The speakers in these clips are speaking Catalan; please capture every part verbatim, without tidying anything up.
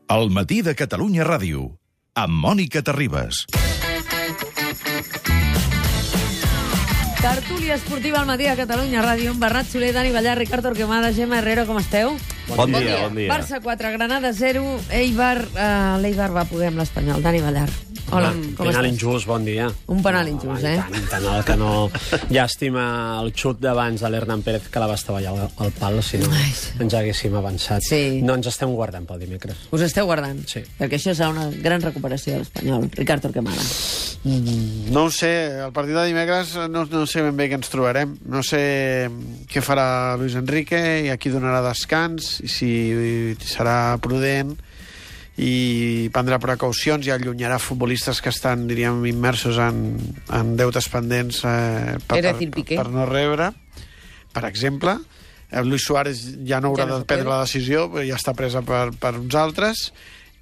El matí de Catalunya Ràdio, amb Mònica Terribas. Tertúlia esportiva al matí de Catalunya Ràdio, amb Bernat Soler, Dani Ballar, Ricard Torquemada, Gemma Herrero, com esteu? Bon, bon dia, bon dia. Barça quatre, Granada zero, Eibar... Uh, L'Eibar va poder amb l'Espanyol. Dani Ballar. Hola, Una, com penal estàs? injust, bon dia. Un penal injust, no, eh? Tant, penal que no... Llàstima el xut d'abans de l'Hernan Pérez, que la va estavellar al, al pal, si no Ai, ens haguéssim avançat. Sí. No ens estem guardant pel dimecres. Us esteu guardant? Sí. Perquè això serà una gran recuperació de l'Espanyol. Ricard Torquemada. Mm, no ho sé, el partit de dimecres no, no sé ben bé què ens trobarem. No sé què farà Luis Enrique i a qui donarà descans, i si serà prudent i prendrà precaucions i allunyarà futbolistes que estan, diríem, immersos en, en deutes pendents eh, per, per, per no rebre. Per exemple, eh, Luis Suárez ja no haurà ja no de prendre la decisió, ja està presa per, per uns altres.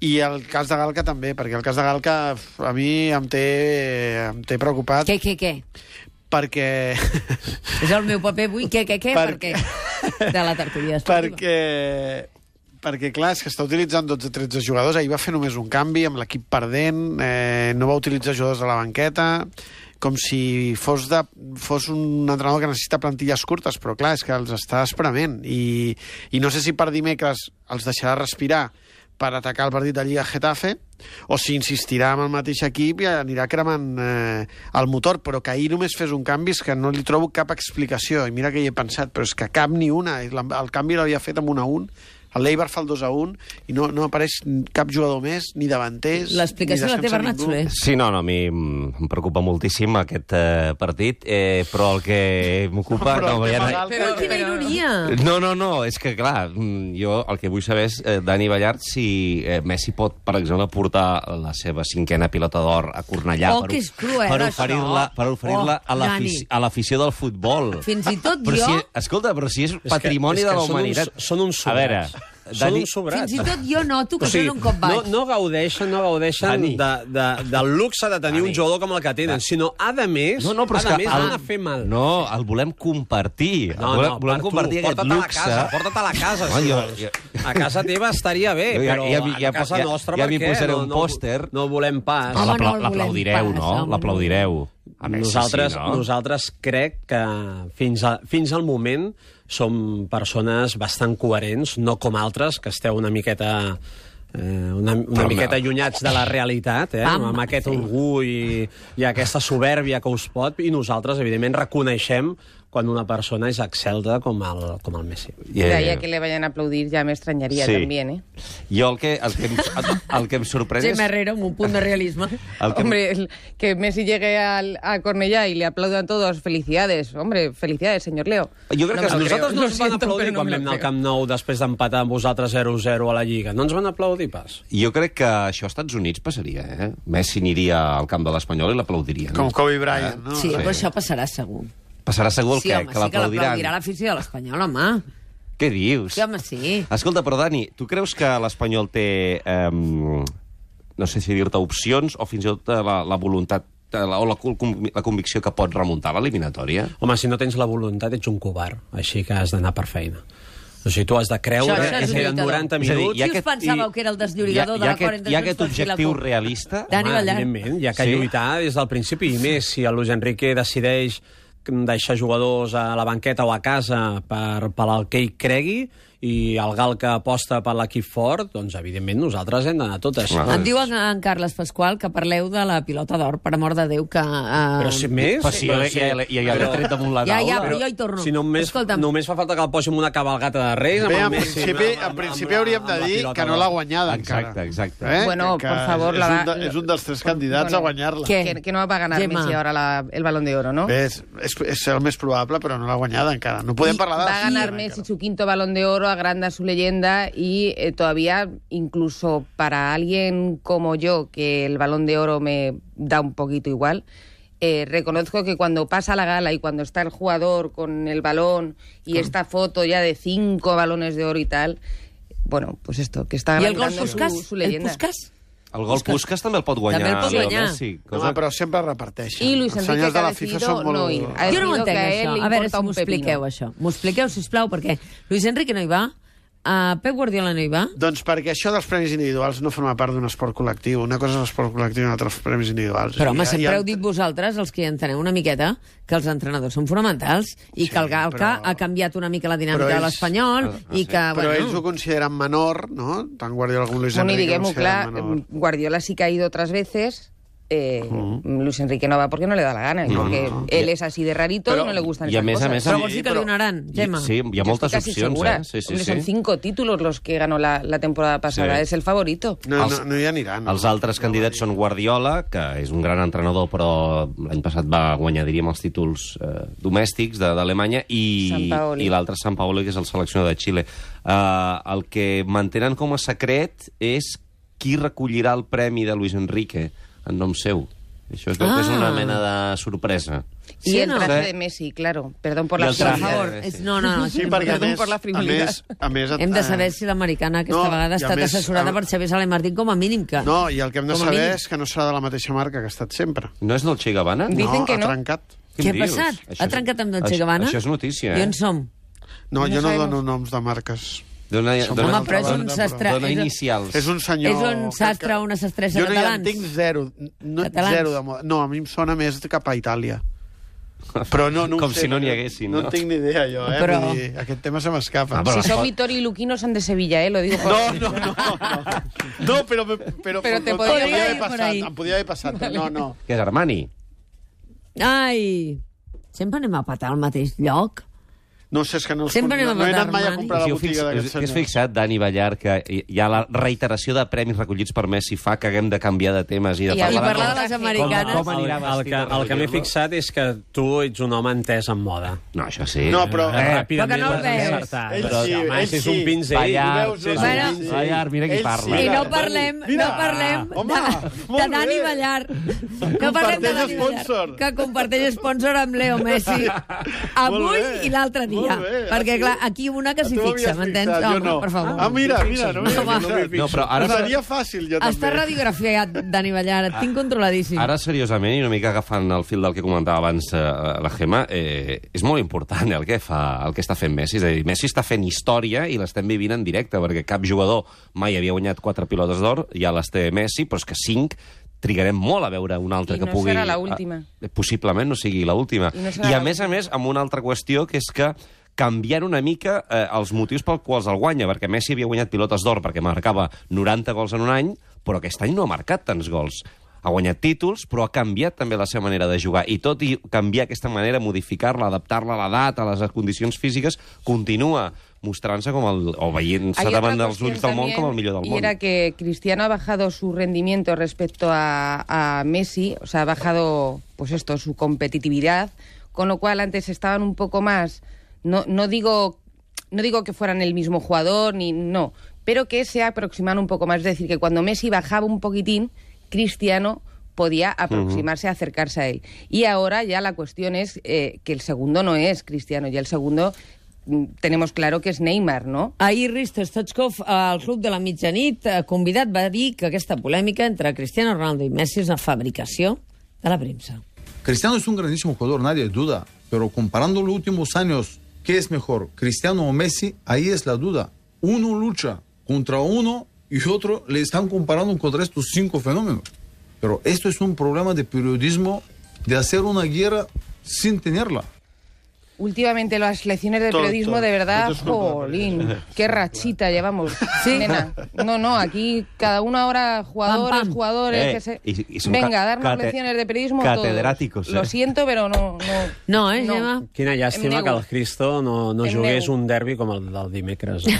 I el cas de Galca també, perquè el cas de Galca a mi em té, em té preocupat. Què, què, què? Perquè... És el meu paper avui, què, què, què? Perquè... perquè... De la tertúlia esportiva. Perquè... perquè, clar, és que està utilitzant dotze tretze jugadors. Ahir va fer només un canvi amb l'equip perdent, eh, no va utilitzar jugadors a la banqueta, com si fos, de, fos un entrenador que necessita plantilles curtes, però, clar, és que els està esprement. I, i no sé si per dimecres els deixarà respirar per atacar el partit de Lliga Getafe, o si insistirà amb el mateix equip i anirà cremant eh, el motor, però que ahir només fes un canvi és que no li trobo cap explicació. I mira que hi he pensat, però és que cap ni una. El canvi l'havia fet amb un a un, el l'Eibar fa el dos a un i no, no apareix cap jugador més, ni davanters... L'explicació la té Bernat Soler. Sí, no, no, a mi em preocupa moltíssim aquest eh, partit, eh, però el que m'ocupa... Però, no, però, ja... però quina ironia! No, no, no, és que, clar, jo el que vull saber és, eh, Dani Ballart, si eh, Messi pot, per exemple, portar la seva cinquena pilota d'or a Cornellà Oh, per, que és cruel, per això. oferir-la per oferir-la Oh, a l'afici- a l'afició del futbol. Fins i tot Però jo... si, escolta, però si és És que- patrimoni és que de la són humanitat... uns- són uns A veure, sobrats. Són Dani... uns sobrats. Fins i tot jo noto que O sigui, són un cop baix. no, no gaudeixen, no gaudeixen Dani. de, de, del luxe de tenir Dani. un jugador com el que tenen, sinó, a de més, No, no, però a és de que més el- van a fer mal. No, el volem compartir. No, volem, no, volem per tu, compartir aquest porta't a la luxe. casa, porta't a la casa, No, si jo- vols. jo- A casa teva estaria bé, Jo ja- però ja m'hi- ja- a casa ja- nostra, ja m'hi per què? posaré No- un no- pòster. No volem pas. No, Home, l'apla- no el l'aplaudireu, volem no? pas, home. L'aplaudireu. A Messi, Nosaltres, sí, no? nosaltres crec que fins, a, fins al moment som persones bastant coherents, no com altres, que esteu una miqueta... Eh, una, una Però, miqueta no. allunyats de la realitat, eh? Pam, amb aquest sí. orgull i, i aquesta soberbia que us pot, i nosaltres, evidentment, reconeixem quan una persona és excelta com el, com el Messi. Yeah. Ya que le vayan a aplaudir ya me extrañaría Sí. también, ¿eh? Jo el que, el que, em, el, el que em sorprèn és... Gemma Herrero, amb un punt de realisme. El que, Hombre, el- que Messi llegue al, a Cornellà y le aplaudan todos, felicidades. Hombre, felicidades, señor Leo. Jo crec No que me A lo nosaltres creo. no Lo ens van siento, aplaudir pero no quan me vam lo anar al creo. Camp Nou després d'empatar amb vosaltres zero a zero a la Lliga. No ens van aplaudir pas. jo crec que això als Estats Units passaria, eh? Messi aniria al camp de l'Espanyol i l'aplaudirien. Com Kobe Bryant, no? Sí, però això passarà segur. Passarà segur el Sí, què? home, que sí que l'aplaudiran. l'aplaudirà l'afició de l'Espanyol, home. Què dius? Sí, home, sí. Escolta, però Dani, tu creus que l'Espanyol té, eh, no sé si dir-te opcions, o fins i tot eh, la, la voluntat eh, la, o la, la convicció que pot remuntar l'eliminatòria? Home, si no tens la voluntat ets un covard, així que has d'anar per feina. O sigui, tu has de creure Això- això és que un eren lluitador. noranta És a dir, minuts... hi ha Qui us aquest- pensàveu i- que era el desllorigador hi ha- de hi ha l'acord aquest- entre hi ha Junts aquest pel Sí i la objectiu CUP? realista? Dani Home, Ballar. evidentment, hi ha que Sí? lluitar des del principi, i més si el Luis Enrique decideix deixar jugadors a la banqueta o a casa per, per al que ell cregui, i el gal que aposta per l'equip fort, doncs, evidentment, nosaltres hem d'anar totes. Clar. Em diu en, en Carles Pasqual que parleu de la pilota d'or, per amor de Déu, que... Uh, Però si més... Però si ja, ja, ja, ja, ja l'he tret damunt la Ja, taula. ja, però jo hi torno. Si només, Escolta'm. només fa falta que el posi en una cabalgata de Reis... amb Bé, el en Messi, principi, amb- amb- en principi amb- hauríem de amb la dir pilota que no d'or. l'ha guanyada Exacte, encara. exacte. Eh? Bueno, Que por favor, és, la un va- de, és un dels tres candidats Bueno, a guanyar-la. què? Que, que no va a ganar Gemma. Messi ahora la- el Balón de Oro, ¿no? Bé, és, és, és el més probable, però no l'ha guanyada encara. No podem parlar de... Va a ganar Messi su quinto Balón de Oro, agranda su leyenda y eh, todavía, incluso para alguien como yo, que el Balón de Oro me da un poquito igual, eh, reconozco que cuando pasa la gala y cuando está el jugador con el balón y esta foto ya de cinco balones de oro y tal, bueno, pues esto, que está I el gol agrandando Puskas? su, su El leyenda. Puskas? El gol Puskas també el pot guanyar. També el pot Leo guanyar. Messi, Home, cosa... però sempre reparteixen. I Luis Els Enrique, senyors que de ha la FIFA decidido són molt... no ir. Ha Jo no ho decidido entenc, que a él això. le A veure importa si un m'ho expliqueu, pepino. això. M'ho expliqueu, sisplau, perquè Luis Enrique no hi va, uh, Pep Guardiola no hi va? Doncs perquè això dels premis individuals no forma part d'un esport col·lectiu. Una cosa és l'esport col·lectiu i una altra els premis individuals. Però, home, I- sempre i- heu dit vosaltres, els que hi enteneu una miqueta, que els entrenadors són fonamentals i Sí, que el Galca però- ha canviat una mica la dinàmica però de ells- l'Espanyol Ah, i sí. que, Però ells ho bueno... consideren menor, no? Tant Guardiola com Luis Bueno, y Enrique ho digamos, consideren claro, menor. Guardiola sí que ha ido otras veces. Eh, Luis Enrique no va porque no le da la gana, y No, porque no. él es así de rarito Pero- y no le gustan y a esas mes a cosas. mes, Però Sí, vols dir que però- li donaran, Gemma? Sí, hi ha Yo moltes estoy casi opcions, segura. eh? Sí, sí, Hombre, sí. Son cinco títulos los que ganó la, la temporada pasada. Sí. Es el favorito. No, Els- no, no hi aniran. No. Els altres candidats són Guardiola, que és un gran entrenador, però l'any passat va guanyar, diríem, els títols eh, domèstics de- d'Alemanya, i, Sampaoli. i l'altre Sampaoli, que és el seleccionador de Xile. Uh, el que mantenen com a secret és qui recollirà el premi de Luis Enrique en nom seu. Això es veu que és una Ah. mena de sorpresa. Y Sí, el no? traje Sí. de Messi, claro. Perdón por Y la el Per traje. frivolidad. favor, és, no, no, no. Sí, sí, perquè a Perdó més, per la a frivolitat. més, a més... Hem de eh, saber si l'americana aquesta no, vegada ha i a estat més, assessorada a- per Xavier Sala i Martín com a mínim que... No, i el que hem de Com a saber mínim. és que no serà de la mateixa marca que ha estat sempre. No és del Che Guevara? Dicen no, que ha no. trencat. Què ha dius? passat? Això Ha és- trencat amb Dolce això- Gabbana? Això és notícia, I eh? on som? No, No jo no sabemos. dono noms de marques. Dona, Som dona, Home, però és un banda, sastre... dona és un- inicials. És un senyor... És un que- sastre que- o una sastressa jo no hi catalans? entenc zero. No, Catalans? zero de moda. No, a mi em sona més cap a Itàlia. Però no, no ho Com sé, si no n'hi haguessin, no? No en tinc ni idea, jo, eh? Però- Vull dir, aquest tema se m'escapa. Ah, però- Si son Vittori y Luqui no son de Sevilla, ¿eh? Lo digo por... No, no, no, no. No, però... però, Però te no, podria podria haver ir por passat, ahí. em podia haver passat, però no, no. Què és Armani? Ai, sempre anem a patar al mateix lloc. No sé, és que no, els, Sempre no, anem a no he anat matar mai a Armani. comprar la Us hi heu botiga fix- d'aquest us- senyor. Us fixat, Dani Ballar, que hi ha la reiteració de premis recollits per Messi fa que haguem de canviar de temes i de I parlar, parlar com- de les Com- americanes. com anirà el, el, vestit que, per el que m'he recollir-lo? fixat és que tu ets un home entès en moda. No, això sí. No, però- Eh, Eh, ràpidament però que no el l'has veus. encertat. Ell Però, sí, home, ell si és sí. un pinzell... Ballar, sí, sí, Bueno. sí. Ballar, mira qui Ell parla. sí. I no Mira, parlem, mira. no parlem Home, de, molt de Dani bé. Ballar. No parlem de Dani espònsor. Ballar, que comparteix sponsor amb Leo Messi avui Molt bé, i l'altre dia. molt bé. Perquè, Ah, sí? clar, aquí una que s'hi Tu fixa, m'havies m'entens? fixat, jo Home, no. per favor. Ah, mira, mira, no m'hi Home. havia fixat. No, però ara- Seria fàcil, jo Està també. radiografiat, Dani Ballar, et tinc controladíssim. Ara, seriosament, i una mica agafant el fil del que comentava abans eh, la Gemma, eh, és molt important el que, fa, el que està fent Messi. És a dir, Messi està fent història i l'estem vivint en directe, perquè cap jugador mai havia guanyat quatre pilotes d'or, ja les té Messi, però és que cinc trigarem molt a veure un altre I que no pugui... serà l'última. Eh, possiblement no sigui l'última. I no serà I a la més a més, amb una altra qüestió, que és que canviant una mica eh, els motius pel quals el guanya, perquè Messi havia guanyat pilotes d'or perquè marcava noranta gols en un any, però aquest any no ha marcat tants gols. Ha guanyat títols, però ha canviat també la seva manera de jugar. I tot i canviar aquesta manera, modificar-la, adaptar-la a l'edat, a les condicions físiques, continua mostrant-se com el... o veient-se Hay davant otra dels ulls cuestión del món también, com el millor del y món. era que Cristiano ha bajado su rendimiento respecto a, a Messi, o sea, ha bajado, pues esto, su competitividad, con lo cual antes estaban un poco más, no, no digo, no digo que fueran el mismo jugador, ni no, pero que se aproximaban un poco más. Es decir, que cuando Messi bajaba un poquitín, Cristiano podía aproximarse, uh-huh. acercarse a él. Y ahora ya la cuestión es eh, que el segundo no es Cristiano, ya el segundo tenemos claro que és Neymar, no? Ahir Risto Stoichkov, al Club de la Mitjanit, convidat, va dir que aquesta polèmica entre Cristiano Ronaldo i Messi és una fabricació de la premsa. Cristiano es un grandísimo jugador, nadie duda, pero comparando los últimos años, ¿qué es mejor, Cristiano o Messi? Ahí es la duda. Uno lucha contra uno y otro le están comparando contra estos cinco fenómenos. Pero esto es un problema de periodismo, de hacer una guerra sin tenerla. Últimamente las lecciones de Todo, periodismo, todo. de verdad, Esto es una jolín, qué rachita llevamos. Sí. Nena, no, no, aquí cada una hora jugadores, Pam, pam. jugadores, Eh, que se... y- y son Venga, ca- a darnos cate- lecciones de periodismo catedráticos, todos. Lo eh. siento, pero no... No, No, eh, Gemma? Quina Em llàstima nego. que el Cristo no, no Em jugués nego. un derbi com el del dimecres. Eh?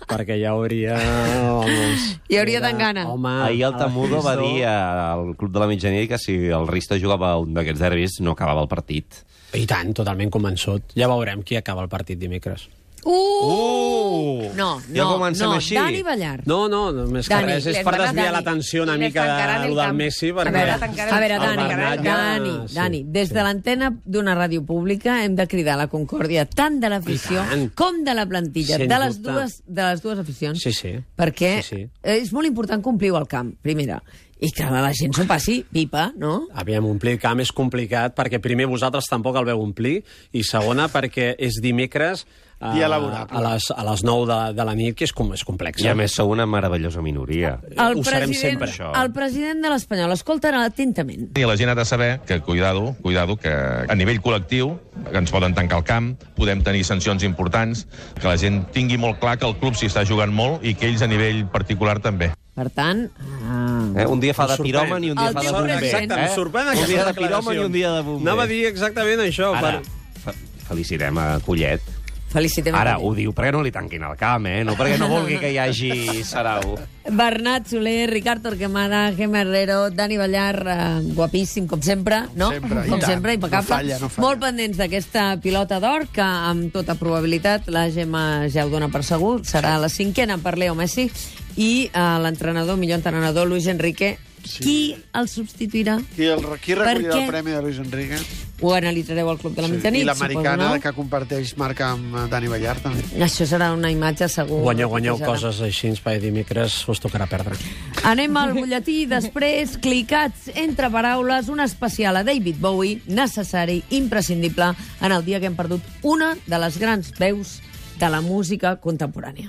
Perquè ja hauria... Vamos, Hi hauria era- tant gana. Home, Ahir el el Tamudo va Cristo- dir al Club de la Mitjanit que si el Risto jugava un d'aquests derbis no acabava el partit. I tant, totalment convençut. Ja veurem qui acaba el partit dimecres. Uh! Uh! No, Ja no, comencem no, així. Dani Ballar. No, no, més que Dani, res és les per van a- desviar Dani, l'atenció una i les mica tancaran de, el lo del camp. Messi, A perquè... veure, tancaran A veure, el Dani, Bernat ja- Dani, sí, Dani, des sí. de l'antena d'una ràdio pública hem de cridar la concòrdia tant de l'afició I tant. com de la plantilla, Sens de les, dubte. dues, de les dues aficions. Sí, sí. Perquè Sí, sí. és molt important complir al camp, primera, i que la gent s'ho passi pipa, no? Aviam, omplir el camp és complicat perquè primer vosaltres tampoc el veu omplir i segona perquè és dimecres a, Dia laborable. a, les, a les nou de, de la nit, que és, com, és complex. I a més sou una meravellosa minoria. El Ho serem president, sempre, això. el president de l'Espanyol, escolta atentament. I la gent ha de saber que, cuidado, cuidado, que a nivell col·lectiu ens poden tancar el camp, podem tenir sancions importants, que la gent tingui molt clar que el club s'hi està jugant molt i que ells a nivell particular també. Per tant... Ah. Eh? Un dia fa de Em sorprèn. piròman i un dia El fa de teu bomber. president. Exacte, em sorprèn Un aquesta dia de declaració. piròman i un dia de bomber. Anava a dir exactament això. Ara, Per... fe- felicitem a Collet. Felicitem. Ara, a ho diu perquè no li tanquin el camp, eh? No perquè no vulgui que hi hagi sarau. Bernat Soler, Ricard Torquemada, Gemma Herrero, Dani Ballar, eh, guapíssim, com sempre, no? Sempre, i com tant. sempre, impecable. No falla, no falla. Molt pendents d'aquesta pilota d'or, que amb tota probabilitat la Gemma ja ho dona per segur, serà la cinquena per Leo Messi, i eh, l'entrenador, millor entrenador, Luis Enrique. Sí. Qui el substituirà? Qui, el, qui recollirà què? el premi de Luis Enrique? Ho analitzareu al Club de la Mitjanit, I l'americana suposo, que comparteix marca amb eh, Dani Ballar, també. no? Això serà una imatge segur. Guanyeu, guanyeu que serà. coses així, per dimecres us tocarà perdre. Anem al butlletí, després, clicats entre paraules, un especial a David Bowie, necessari, imprescindible, en el dia que hem perdut una de les grans veus de la música contemporània.